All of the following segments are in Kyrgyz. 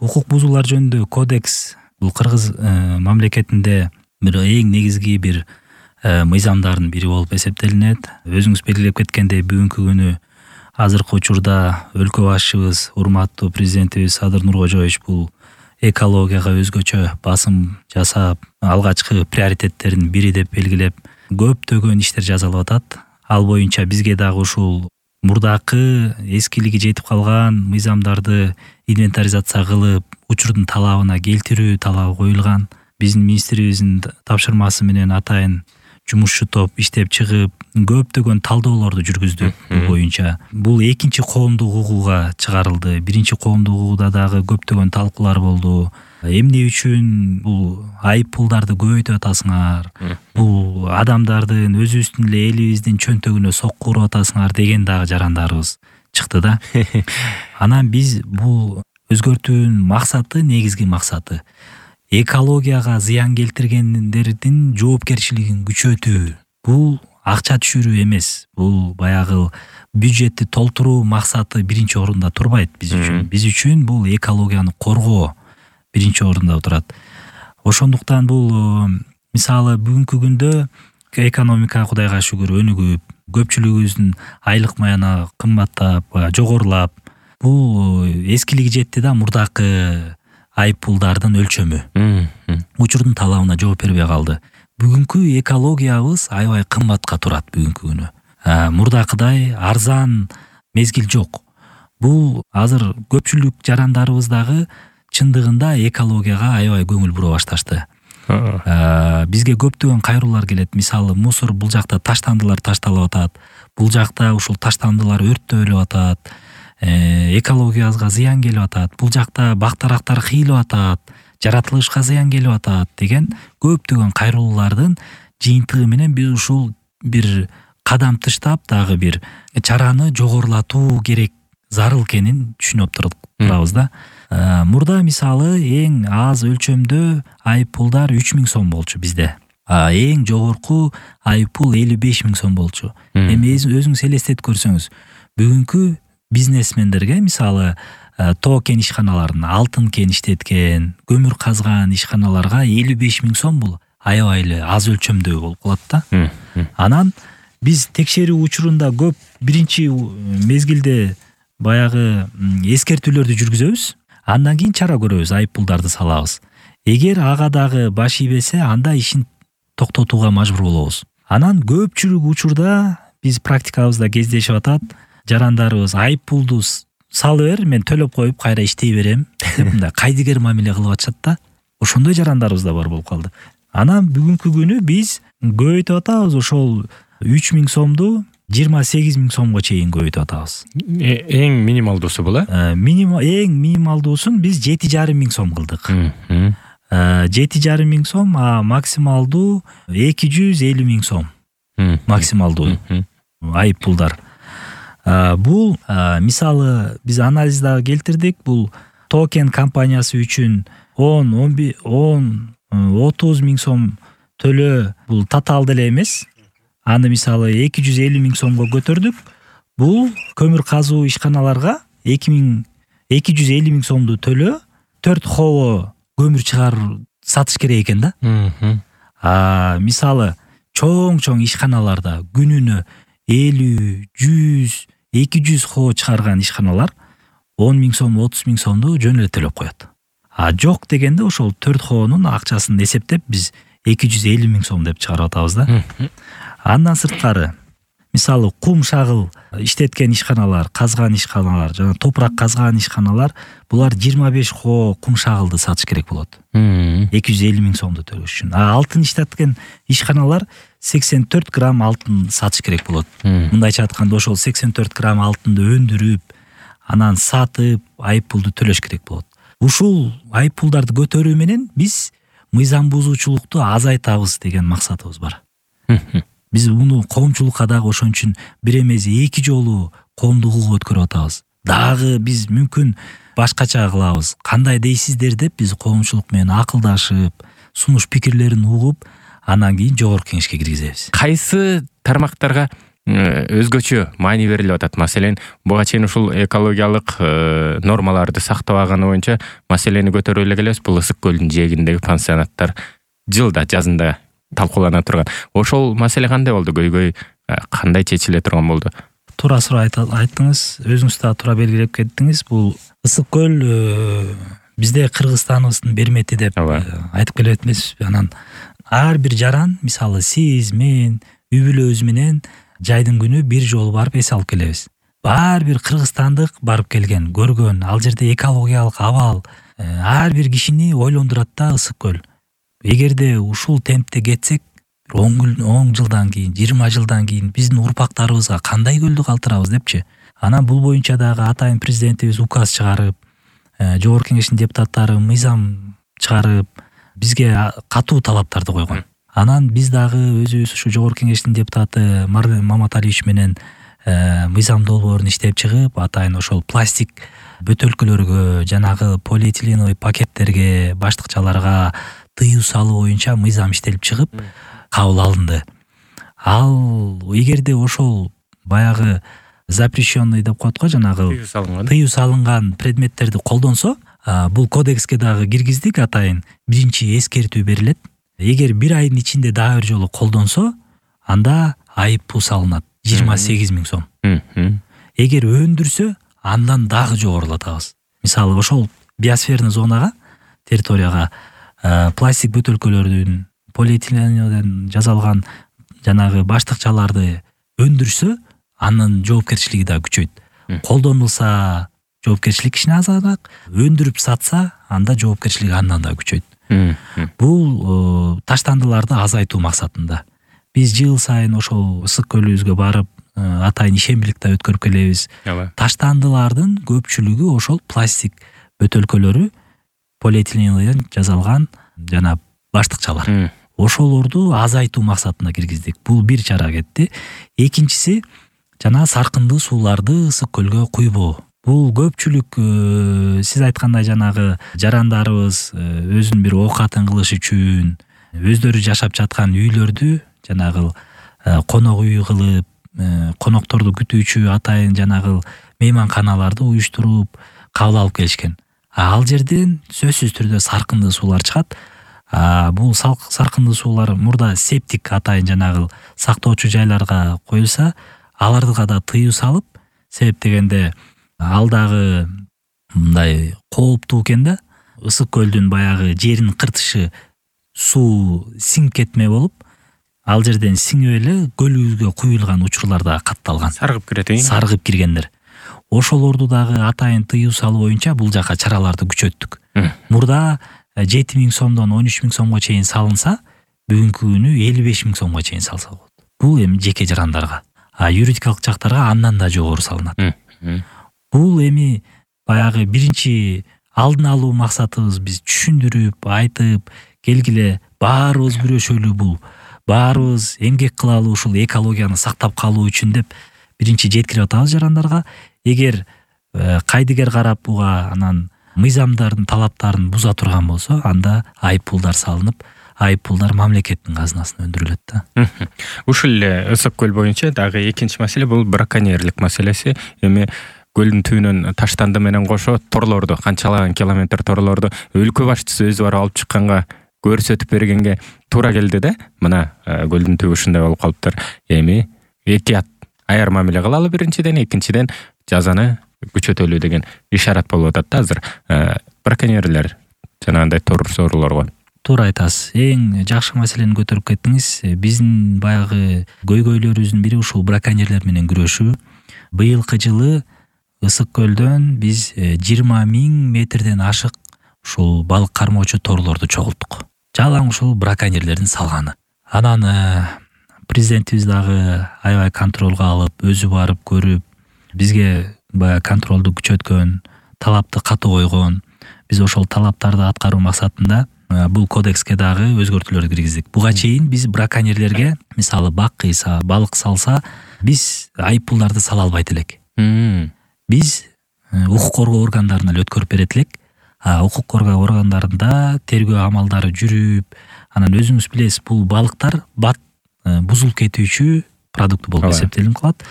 укук бузуулар жөнүндө кодекс бул Кыргыз мамлекетинде бир эң негизги бир мыйзамдардын бири болуп эсептелинет. Өзүңүз белгилеп кеткендей, бүгүнкү күнү азыркы учурда өлкө башчыбыз, урматтуу президентибиз Садыр Нуркожоевич бул экологияга өзгөчө басым жасап, алгачкы приоритеттердин бири деп белгилеп, көптөгөн иштер жасалып атат. Ал боюнча бизге дагы ушул мурдакы эскилиги жетип калган мыйзамдарды инвентаризация кылып, учурдун талабына келтирүү талабы коюлган. Биздин министрибиздин тапшырмасы менен атайын жумушчу топ иштеп чыгып, көптөгөн талдоолорду жүргүздүк бул боюнча. Бул экинчи коомдук угууга чыгарылды. Биринчи коомдук угууда дагы көптөгөн талкуулар болду. Эмне үчүн бул айып пулдарды көбөйтүп атасыңар? Бул адамдардын өзүбүздүн эле элибиздин чөнтөгүнө сокку уруп атасыңар деген дагы жарандарыбыз чыкты да. Анан биз бул өзгөртүүнүн максаты, негизги максаты экологияга зыян келтиргендердин жоопкерчилигин күчөтүү. Бул акча түшүрүү эмес. Бул баягы бюджетти толтуруу максаты биринчи орунда турбайт биз үчүн. Биз үчүн бул экологияны коргоо биринчи орунда турат. Ошондуктан бул мисалы бүгүнкү күндө экономика Кудайга шүгүр өнүгүп, көпчүлүгүбүздүн айлык маяна кымбаттап, жогорулап, бул эскилиги жетти да мурдакы айып пулдардын өлчөмү. Учурдун талабына жооп бербей калды. Бүгүнкү экологиябыз аябай кымбатка турат бүгүнкү күнү. Мурдакыдай арзан мезгил жок. Бул азыр көпчүлүк жарандарыбыз дагы чындыгында экологияга аябай көңүл бура башташты. Бизге көптөгөн кайруулар келет. Мисалы, мусор бул жакта таштандылар ташталып атат. Бул жакта ушул таштандылар өрттөлүп атат. Экологиябызга зыян келип атат. Бул жакта бактарактар кыйылып атат. Жаратылышка зыян келип атат деген көптөгөн кайруулардын жыйынтыгы менен биз ушул бир кадам тыштап дагы бир чараны жогорулатуу керек, зарыл экенин түшүнүп турабыз да. Мурда мисалы эң аз өлчөмдө айып пулдар 3000 сом болчу бизде. Эң жогорку айып пул 55 000 сом болчу. Эми өзүңүз элестетип көрсөңүз, бүгүнкү бизнесмендерге мисалы тоо кен ишканаларына алтын кен иштеткен, көмүр казган ишканаларга 55 000 сом бул аябай эле аз өлчөмдүү болуп калат да. Анан биз текшерүү учурунда көп биринчи мезгилде баягы эскертүүлөрдү жүргүзөбүз. Андан кийин чара көрөбүз, айып пулдарды салабыз. Эгер ага дагы баш ийбесе, анда ишин токтотууга мажбур болобуз. Анан көпчүлүк учурда биз практикабызда кездешип атат. Жарандарыбыз айып пулду салып бер, мен төлөп коюп кайра иштей берем деп мындай кайдыгер мамиле кылып атышат да. Ошондой жарандарыбыз да бар болуп калды. Анан бүгүнкү күнү биз көбөйтүп атабыз, ошол 3000 сомду 28 000 сомго чейин көбөйтүп атабыз. Эң минималдуусу бул эң минималдуусун биз 7,5 000 сом кылдык. 7,5 000 сом, максималдуу 250 000 сом. Максималдуу айып пулдар. Бул мисалы биз анализда келтирдик. Бул токен компаниясы үчүн 30 000 сом төлөө бул татаал деле эмес. Аны мисалы 250 000 сомго көтөрдүк. Бул көмүр казуу ишканаларга 250 000 сомду төлөө 4 хоо көмүр чыгарып сатыш керек экен да. Мисалы чоң ишканаларда күнүнө 50, 100, 200 хоо чыгарган ишканалар 10 000 сом, 30 000 сомду жөн эле төлөп коет. Жок дегенде ошол 4 хоонун акчасын эсептеп биз 250 000 сом деп чыгарып атабыз да. Андан сырткары мисалы кум шагыл иштеткен ишканалар, казган ишканалар, жана топурак казган ишканалар, булар 25 хоо кум шагылды сатыш керек болот. 250 000 сомду төлөш үчүн. Алтын иштеткен ишканалар 84 грамм алтын сатыш керек болот. Мындайча айтканда ошол 84 грамм алтынды өндүрүп, анан сатып, айып пулду төлөш керек болот. Ушул айып пулдарды көтөрүү менен биз мыйзам бузуучулукту азайтабыз деген максатыбыз бар. Биз муну коомчулукка дагы ошон үчүн бир эмес 2 жолу коомдук угуу өткөрүп атабыз. Дагы биз мүмкүн башкача кылабыз. Кандай дейсиздер деп биз коомчулук менен акылдашып, сунуш пикирлерин угуп, анан кийин жогорку кеңешке киргизебиз. Кайсы тармактарга өзгөчө маани берилип атат. Маселен, буга чейин ушул экологиялык нормаларды сактабаганы боюнча маселени көтөрүп эле келебиз. Бул Ысык көлдүн жээгиндеги пансионаттар жылда, жазында талкуулана турган. Ошол маселе кандай болду? Көйгөй кандай чечиле турган болду? Туура суроо айттыңыз, өзүңүз да туура белгилеп кеттиңиз. Бул Ысык көл бизде Кыргызстаныбыздын бермети деп айтып келет эмеспизби? Анан ар бир жаран, мисалы сиз, мен, үй-бүлөбүз менен жайдын күнү бир жолу барып эс алып келебиз. Ар бир кыргызстандык барып келген, көргөн, ал жерде экологиялык абал ар бир кишини ойлондурат да Ысык көл. Эгерде ушул темпте кетсек, 10 жылдан кийин, 20 жылдан кийин биздин урпактарыбызга кандай көлдү калтырабыз депчи. Анан бул боюнча дагы атайын президентибиз указ чыгарып, жогорку кеңештин депутаттары мыйзам чыгарып, бизге катуу талаптарды койгон. Анан биз дагы өзүбүз ушу жогорку кеңештин депутаты Маматалиевич менен мыйзам долбоорун иштеп чыгып, атайын ошол пластик бөтөлкөлөргө, жанагы полиэтиленовый пакеттерге, баштыкчаларга тыюу салуу боюнча мыйзам иштелип чыгып, кабыл алынды. Ал эгерде ошол баягы запрещенный деп коет го, жанагы тыюу салынган предметтерди колдонсо, бул кодекске дагы киргиздик, атайын биринчи эскертүү берилет. Эгер бир айдын ичинде дагы бир жолу колдонсо, анда айып пул салынат 28 000 сом. Эгер өндүрсө, андан дагы жогорулатабыз. Мисалы ошол биосферный зонага, территорияга пластик бөтөлкөлөрдүн, полиэтиленовден жасалган жанагы баштыкчаларды өндүрсө, анын жоопкерчилиги да күчөйт. Колдонулса, жоопкерчилик кичине азыраак, өндүрүп сатса, анда жоопкерчилиги андан да күчөйт. Бул таштандыларды азайтуу максатында. Биз жыл сайын ошол Ысык көлүбүзгө барып, атайын ишембилик да өткөрүп келебиз. Таштандылардын көпчүлүгү ошол пластик бөтөлкөлөрү, полиэтиленовден жасалган жана баштыкчалар. Ошолорду азайтуу максатында киргиздик. Бул бир чара кетти. Экинчиси, жана саркындуу сууларды Ысык көлгө куйбоо. Бул көпчүлүк сиз айткандай жанагы жарандарыбыз өзүнүн бир оокатын кылыш үчүн, өздөрү жашап жаткан үйлөрдү жанагы конок үй кылып, конокторду күтүүчү атайын жанагы мейманканаларды уюштуруп кабыл алып келишкен. Ал жерден сөзсүз түрдө саркындуу суулар чыгат. Бул саркындуу суулар мурда септик атайын жанагы сактоочу жайларга коюлса, аларга да тыюу салып, себеп дегенде ал дагы мындай кооптуу экен да. Ысык көлдүн баягы жерин кыртышы суу сиңип кетме болуп, ал жерден сиңип эле көлүбүзгө куюлган учурлар да катталган. Саргып кирет, саргып киргендер. Ошолорду дагы атайын тыюу салуу боюнча бул жака чараларды күчөттүк. Мурда 7 000 сомдон 13 000 сомго чейин салынса, бүгүнкү күнү 55 000 сомго чейин салса болот. Бул эми жеке жарандарга. Юридикалык жактарга андан да жогору салынат. Бул эми баягы биринчи алдын алуу максатыбыз, биз түшүндүрүп, айтып, келгиле баарыбыз күрөшөлү, бул баарыбыз эмгек кылалы ушул экологияны сактап калуу үчүн деп биринчи жеткирип атабыз жарандарга. Эгер кайдыгер карап буга анан мыйзамдардын талаптарын буза турган болсо, анда айып пулдар салынып, айып пулдар мамлекеттин казынасына өндүрүлөт да. Ушул эле Ысык көл боюнча дагы экинчи маселе бул браконьерлик маселеси. Эми көлдүн түбүнөн таштанды менен кошо торлорду, канчалаган километр торлорду өлкө башчысы өзү барып алып чыкканга, көрсөтүп бергенге туура келди да. Мына көлдүн түбү ушундай болуп калыптыр. Эми этият аяр мамиле кылалы биринчиден, экинчиден жазаны күчөтөлү деген ишарат болуп атат да азыр. Браконьерлер жанагындай торлорго. Туура айтасыз. Эң жакшы маселени көтөрүп кеттиңиз. Биздин баягы көйгөйлөрүбүздүн бири ушул браконьерлер менен күрөшүү. Быйылкы жылы Ысык көлдөн биз 20 000 метрден ашык ушул балык кармоочу торлорду чогулттук. Жалаң ушул браконьерлердин салганы. Анан президентибиз дагы аябай контролго алып, өзү барып көрүп, бизге баягы контролду күчөткөн, талапты катуу койгон. Биз ошол талаптарды аткаруу максатында бул кодекске дагы өзгөртүүлөр киргиздик. Буга чейин биз браконьерлерге, мисалы бак кыйса, балык салса, биз айып пулдарды сала албайт элек. Биз укук коргоо органдарына өткөрүп берет элек. Укук коргоо органдарында тергөө амалдары жүрүп, анан өзүңүз билесиз, бул балыктар бат бузулуп кетүүчү продукты болуп эсептелип калат.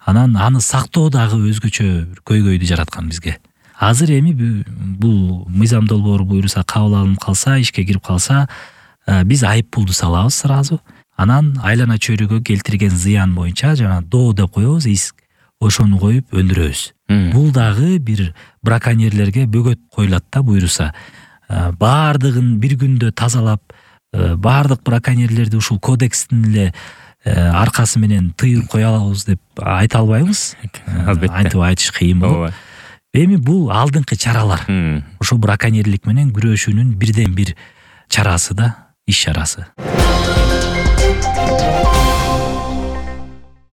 Анан аны сактоо дагы өзгөчө көйгөйдү жараткан бизге. Азыр эми бул мыйзам долбоору буйруса кабыл алынып калса, ишке кирип калса, биз айып пулду салабыз сразу. Анан айлана чөйрөгө келтирген зыян боюнча жана доо деп коебуз, иск, ошону коюп өндүрөбүз. Бул дагы бир браконьерлерге бөгөт коюлат да буйруса. Баардыгын бир күндө тазалап, баардык браконьерлерди ушул кодекстин эле аркасы менен тыйып кое алабыз деп айта албайбыз. Албетте. Антип айтыш кыйын болот. Эми бул алдыңкы чаралар. Ошо браконьерлик менен күрөшүүнүн бирден бир чарасы да, иш чарасы.